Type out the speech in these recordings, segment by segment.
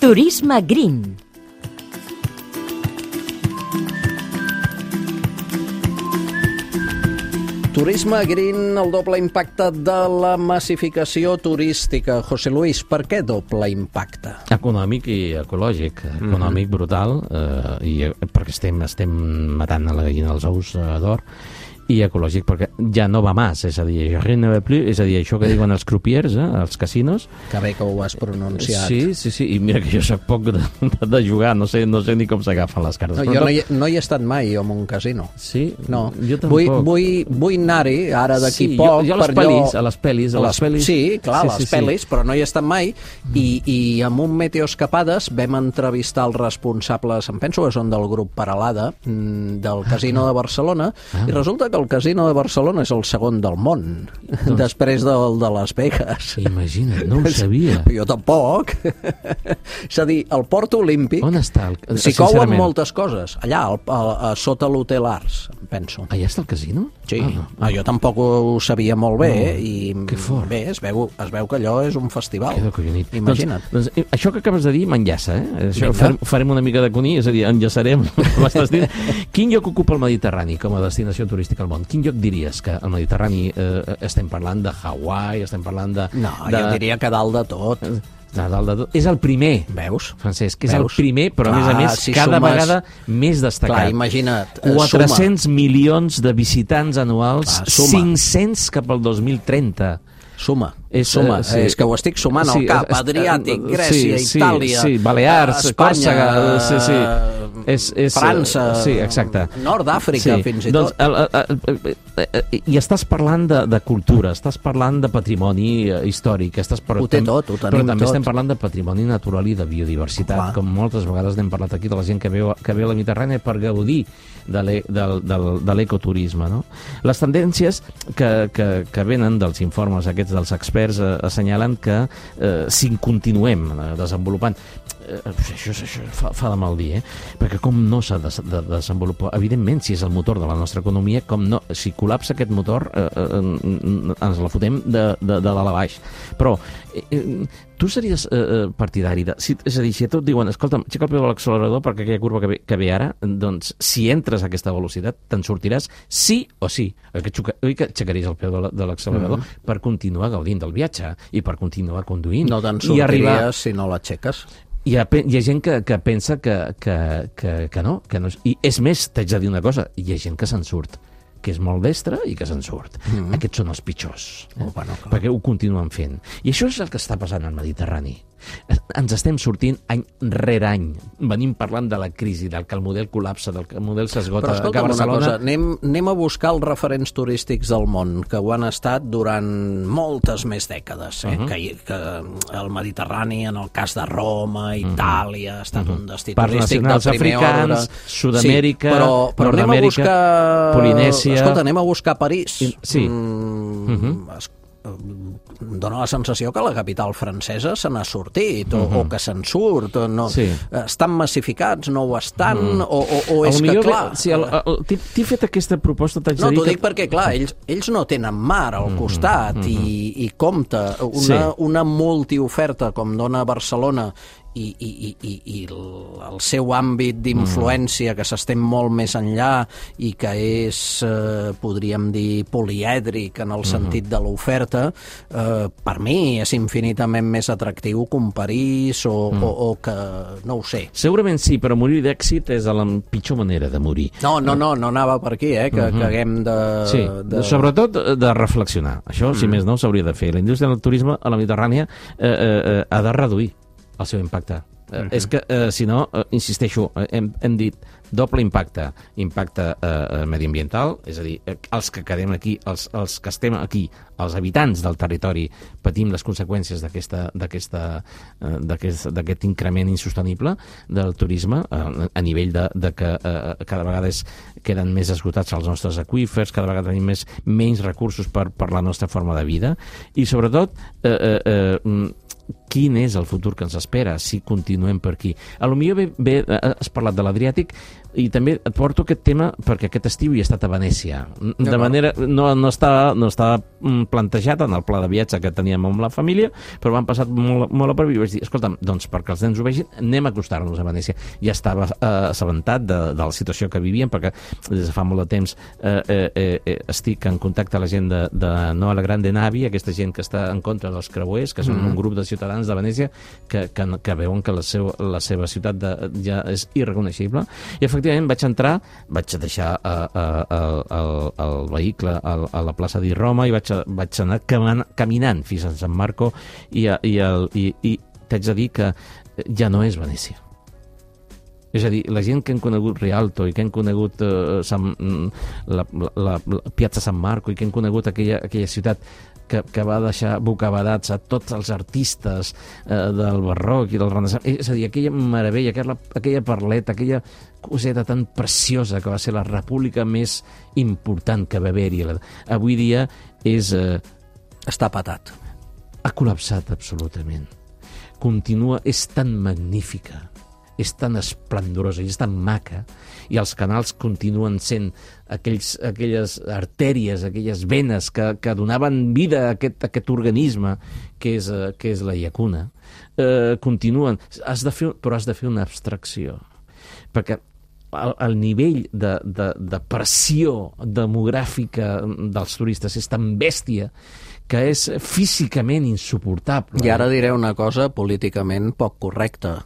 Turisme Green. Turisme Green, el doble impacte de la massificació turística. José Luis, per què doble impacte? Econòmic i ecològic. Econòmic brutal, perquè estem matant a la gallina dels ous d'or, i ecològic perquè ja no va més, és a dir, rien ne va plus, és a dir, això que diuen els crupiers, els casinos. Que bé que ho has pronunciat. Sí, i mira que jo soc poc de jugar, no sé ni com s'agafen les cartes. No, jo no hi he estat mai, jo, en un casino. Sí? No. Jo tampoc. Vull anar-hi, ara d'aquí sí, poc. Jo a les pel·lis. Sí, clar, les pel·lis, però no hi he estat mai, i amb un Meteoescapades vam entrevistar els responsables, em penso que són del grup Paralada, del Casino de Barcelona, i resulta que el Casino de Barcelona és el segon del món, després del de Las Vegas. Imagina't, no ho sabia. Jo tampoc. És a dir, el Port Olímpic... On està? S'hi couen moltes coses. Allà, sota l'Hotel Arts, em penso. Allà està el casino? Sí. Jo tampoc ho sabia molt bé, i que fort. Bé, es veu que allò és un festival. Que collonit. Imagina't. Doncs, això que acabes de dir m'enllaça, Això farem una mica de cuní, és a dir, enllaçarem. Quin lloc ocupa el Mediterrani com a destinació turística al món? Quin lloc diries que al Mediterrani estem parlant de Hawaii, estem parlant de... No, jo diria que dalt de tot. Dalt de tot. És el primer, veus? Francesc, és el primer, però a més, si cada vegada més destacat. Clar, imagina't. 400 milions de visitants anuals, 500 cap al 2030. Suma. És que ho estic sumant al cap. Adriàtic, Grècia, Itàlia, Balears, Espanya, França, Nord d'Àfrica, fins i tot. I estàs parlant de cultura, estàs parlant de patrimoni històric, ho té tot, ho tenim tot. Però també estem parlant de patrimoni natural i de biodiversitat, com moltes vegades n'hem parlat aquí de la gent que ve a la Mediterrània per gaudir de l'ecoturisme, no? Les tendències que venen dels informes aquests dels experts assenyalen que si continuem desenvolupant això fa de mal dir, perquè com no s'ha de desenvolupar, evidentment, si és el motor de la nostra economia, com no, si col·lapsa aquest motor ens la fotem de dalt a baix. Però tu series partidari és a dir, si a tu et diuen, escolta'm, aixeca el peu de l'accelerador perquè aquella curva que ve ara, doncs si entres a aquesta velocitat te'n sortiràs sí o sí. Oi que aixecaries el peu de l'accelerador per continuar gaudint del viatge i per continuar conduint. No te'n sortiries si no l'aixeques. Hi ha gent que pensa que no. I és més, t'haig de dir una cosa, hi ha gent que se'n surt, que és molt destre i que se'n surt. Aquests són els pitjors, perquè ho continuen fent. I això és el que està passant al Mediterrani. Ens estem sortint any rere any. Venim parlant de la crisi, del que el model col·lapsa, del que el model s'esgota a Barcelona. Però escolta'm una cosa, anem a buscar els referents turístics del món, que ho han estat durant moltes més dècades, que el Mediterrani, en el cas de Roma, Itàlia, ha estat un destí turístic de primer ordre. Sud-amèrica, però Nord-amèrica, Polinèsia... Escolta, anem a buscar París. Sí. Dóna la sensació que la capital francesa se n'ha sortit, o que se'n surt, estan massificats, no ho estan, o és que, clar... T'he fet aquesta proposta, t'haig de dir... No, t'ho dic perquè, clar, ells no tenen mar al costat, i compta, una multioferta com dona Barcelona i el seu àmbit d'influència, que s'estén molt més enllà i que és, podríem dir, polièdric en el sentit de l'oferta, per mi és infinitament més atractiu que un París o que... no ho sé. Segurament sí, però morir d'èxit és la pitjor manera de morir. No anava per aquí, que haguem de... Sí, sobretot de reflexionar. Això, si més no, s'hauria de fer. La indústria del turisme a la Mediterrània ha de reduir el seu impacte. És que, si no, insisteixo, hem dit doble impacte mediambiental, és a dir, els que quedem aquí, els que estem aquí, els habitants del territori, patim les conseqüències d'aquest increment insostenible del turisme a nivell de que cada vegada queden més esgotats els nostres aqüífers, cada vegada tenim menys recursos per la nostra forma de vida, i sobretot quin és el futur que ens espera si continuem per aquí. A lo millor has parlat de l'Adriàtic i també et porto aquest tema perquè aquest estiu hi he estat a Venècia. De manera, no està plantejat en el pla de viatge que teníem amb la família, però m'han passat molt a prop i vaig dir, escolta'm, doncs perquè els nens ho vegin, anem a acostar-nos a Venècia. Ja estava assabentat de la situació que vivíem, perquè des de fa molt de temps estic en contacte amb la gent de Noa la Grande Navi, aquesta gent que està en contra dels creuers, que són un grup de ciutadans de Venècia que veuen que la seva ciutat ja és irreconeixible. I efectivament vaig deixar el vehicle a la plaça di Roma i vaig anar caminant fins a San Marco i t'haig de dir que ja no és Venècia. És a dir, la gent que han conegut Rialto i que han conegut la Piazza San Marco i que han conegut aquella ciutat que va deixar bocabadats a tots els artistes del barroc i del renaixement, és a dir, aquella meravella, aquella perleta, aquella coseta tan preciosa que va ser la república més important que va haver-hi. Avui dia està patat. Ha col·lapsat absolutament. Continua, és tan magnífica, és tan esplendorosa i és tan maca, i els canals continuen sent aquelles artèries, aquelles venes que donaven vida a aquest organisme que és la llacuna. Continuen, però has de fer una abstracció, perquè el nivell de pressió demogràfica dels turistes és tan bèstia que és físicament insuportable. I ara diré una cosa políticament poc correcta,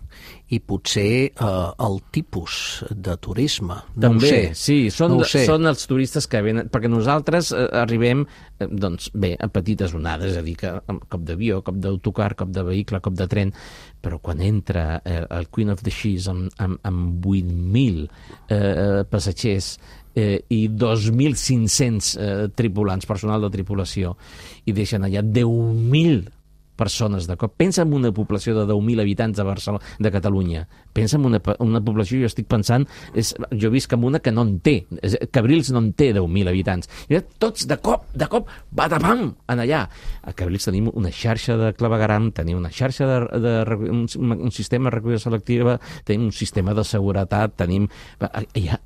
i potser el tipus de turisme. També, sí, són els turistes que venen, perquè nosaltres arribem, doncs bé, a petites onades, és a dir, que cop d'avió, cop d'autocar, cop de vehicle, cop de tren, però quan entra el Queen of the Seas amb 8.000 passatgers i 2.500 tripulants, personal de tripulació, i deixen allà 10.000 persones de cop. Pensa en una població de 10.000 habitants de Barcelona, de Catalunya. Pensa en una població, jo estic pensant, jo visc en una que no en té, Cabrils no en té 10.000 habitants. I tots de cop, badabam, en allà. A Cabrils tenim una xarxa de clavegueram, tenim una xarxa un sistema de recollida selectiva, tenim un sistema de seguretat, tenim...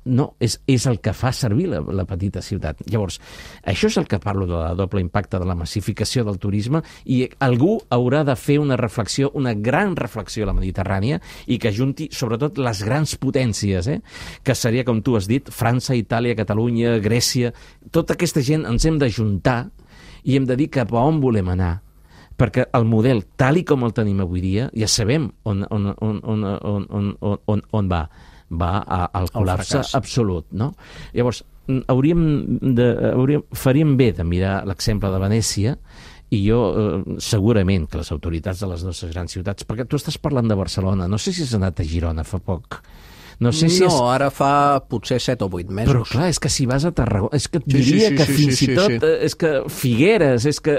No, és el que fa servir la petita ciutat. Llavors, això és el que parlo de la doble impacte de la massificació del turisme, i algú haurà de fer una reflexió, una gran reflexió a la Mediterrània, i que junti sobretot les grans potències, que seria, com tu has dit, França, Itàlia, Catalunya, Grècia. Tota aquesta gent ens hem d'ajuntar i hem de dir cap a on volem anar, perquè el model, tal i com el tenim avui dia, ja sabem on va al col·lapse absolut, no? Llavors, faríem bé de mirar l'exemple de Venècia, i jo, segurament, que les autoritats de les nostres grans ciutats, perquè tu estàs parlant de Barcelona, no sé si has anat a Girona fa poc. No, ara fa potser 7 o 8 mesos. Però clar, és que si vas a Tarragona, és que et diria que fins i tot, és que Figueres, és que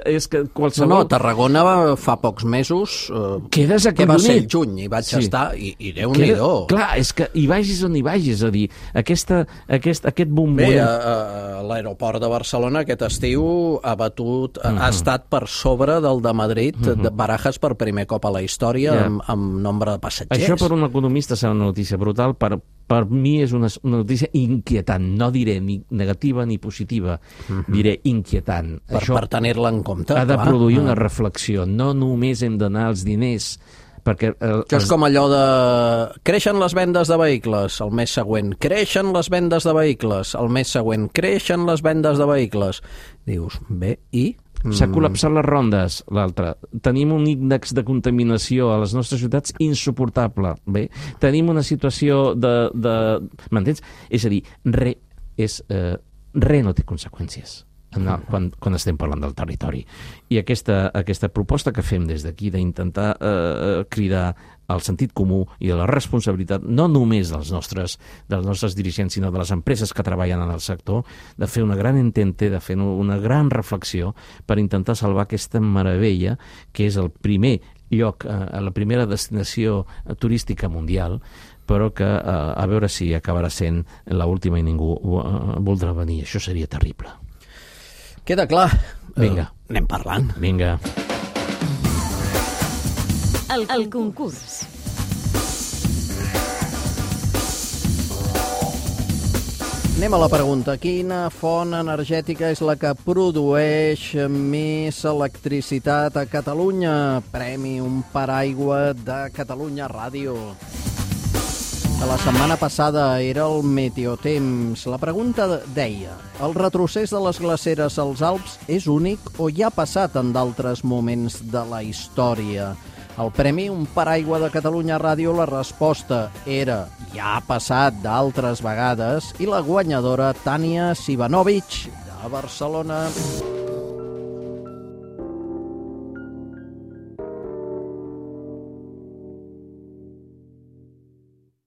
qualsevol... No, Tarragona fa pocs mesos... Quedes acollonit. Que va ser el juny, i vaig estar, i Déu-n'hi-do. Clar, és que hi vagis on hi vagis, és a dir, aquest bomboll... Bé, l'aeroport de Barcelona aquest estiu ha batut, ha estat per sobre del de Madrid, de Barajas per primer cop a la història, amb nombre de passatgers. Això per un economista serà una notícia brutal, per mi és una notícia inquietant, no diré ni negativa ni positiva, diré inquietant. Per tenir-la en compte. Ha de produir una reflexió, no només hem d'anar als diners, perquè... Això és com allò de... Creixen les vendes de vehicles, el mes següent. Creixen les vendes de vehicles, el mes següent. Creixen les vendes de vehicles. Dius, bé, i... S'ha col·lapsat les rondes, l'altre. Tenim un índex de contaminació a les nostres ciutats insuportable. Bé, tenim una situació de... M'entens? És a dir, res no té conseqüències quan estem parlant del territori. I aquesta proposta que fem des d'aquí d'intentar cridar al sentit comú i a la responsabilitat, no només dels nostres dirigents, sinó de les empreses que treballen en el sector, de fer una gran intente, de fer una gran reflexió per intentar salvar aquesta meravella que és el primer lloc, la primera destinació turística mundial, però que a veure si acabarà sent l'última i ningú voldrà venir. Això seria terrible. Queda clar. Vinga. Anem parlant. Vinga. El concurs. Anem a la pregunta. Quina font energètica és la que produeix més electricitat a Catalunya? Premi Un Paraigua de Catalunya Ràdio. La setmana passada era el Meteotemps. La pregunta deia: el retrocés de les glaceres als Alps és únic o ja ha passat en d'altres moments de la història? El Premi Un Paraigua de Catalunya Ràdio, la resposta era: ja ha passat d'altres vegades, i la guanyadora, Tània Sivanovic, de Barcelona.